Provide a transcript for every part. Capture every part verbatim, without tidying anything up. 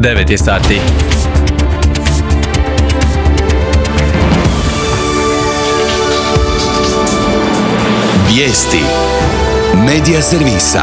devet je sati. Vijesti Medija servisa.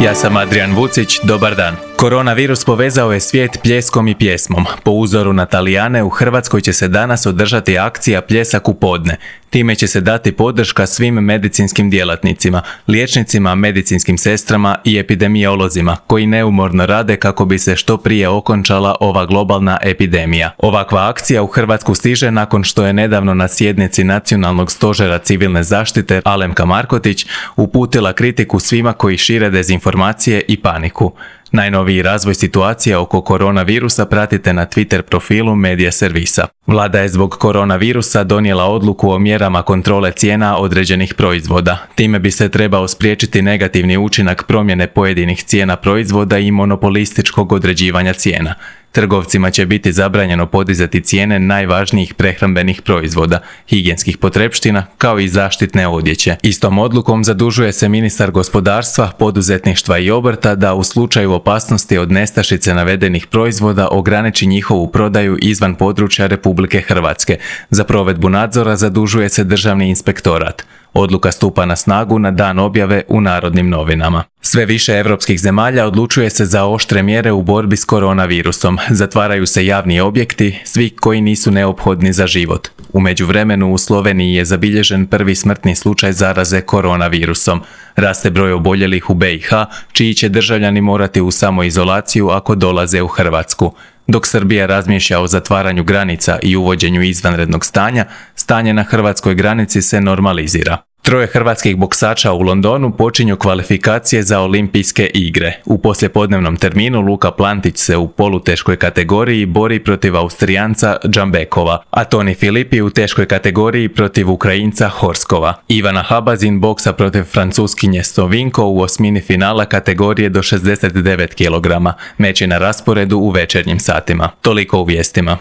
Ja sam Adrian Vucić, dobar dan. Koronavirus povezao je svijet pljeskom i pjesmom. Po uzoru na Talijane, u Hrvatskoj će se danas održati akcija Pljesak u podne. Time će se dati podrška svim medicinskim djelatnicima, liječnicima, medicinskim sestrama i epidemiolozima, koji neumorno rade kako bi se što prije okončala ova globalna epidemija. Ovakva akcija u Hrvatsku stiže nakon što je nedavno na sjednici Nacionalnog stožera civilne zaštite Alemka Markotić uputila kritiku svima koji šire dezinformacije i paniku. Najnoviji razvoj situacije oko koronavirusa pratite na Twitter profilu Medija servisa. Vlada je zbog koronavirusa donijela odluku o mjerama kontrole cijena određenih proizvoda. Time bi se trebao spriječiti negativni učinak promjene pojedinih cijena proizvoda i monopolističkog određivanja cijena. Trgovcima će biti zabranjeno podizati cijene najvažnijih prehrambenih proizvoda, higijenskih potrepština kao i zaštitne odjeće. Istom odlukom zadužuje se ministar gospodarstva, poduzetništva i obrta da u slučaju opasnosti od nestašice navedenih proizvoda ograniči njihovu prodaju izvan područja Republike Hrvatske. Za provedbu nadzora zadužuje se Državni inspektorat. Odluka stupa na snagu na dan objave u Narodnim novinama. Sve više europskih zemalja odlučuje se za oštre mjere u borbi s koronavirusom. Zatvaraju se javni objekti, svi koji nisu neophodni za život. U međuvremenu u Sloveniji je zabilježen prvi smrtni slučaj zaraze koronavirusom. Raste broj oboljelih u B i H, čiji će državljani morati u samoizolaciju ako dolaze u Hrvatsku. Dok Srbija razmišlja o zatvaranju granica i uvođenju izvanrednog stanja, stanje na hrvatskoj granici se normalizira. Troje hrvatskih boksača u Londonu počinju kvalifikacije za olimpijske igre. U poslijepodnevnom terminu Luka Plantić se u poluteškoj kategoriji bori protiv Austrijanca Džambekova, a Toni Filipi u teškoj kategoriji protiv Ukrajinca Horskova. Ivana Habazin boksa protiv Francuskinje Sovinko u osmini finala kategorije do šezdeset devet kilograma. Meč je na rasporedu u večernjim satima. Toliko u vijestima.